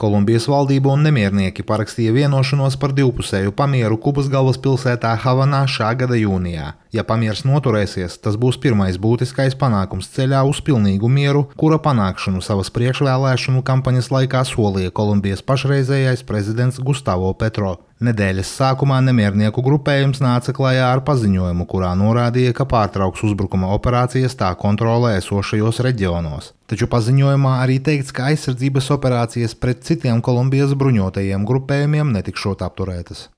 Kolumbijas valdība un nemiernieki parakstīja vienošanos par divpusēju pamieru Kubas galvaspilsētā Havanā šā gada jūnijā. Ja pamiers noturēsies, tas būs pirmais būtiskais panākums ceļā uz pilnīgu mieru, kura panākšanu savas priekšvēlēšanu kampaņas laikā solīja Kolumbijas pašreizējais prezidents Gustavo Petro. Nedēļas sākumā nemiernieku grupējums nāca klajā ar paziņojumu, kurā norādīja, ka pārtrauks uzbrukuma operācijas tā kontrolē esošajos reģionos. Taču paziņojumā arī teikts, ka aizsardzības operācijas pret citiem Kolumbijas bruņotajiem grupējumiem netikšot apturētas.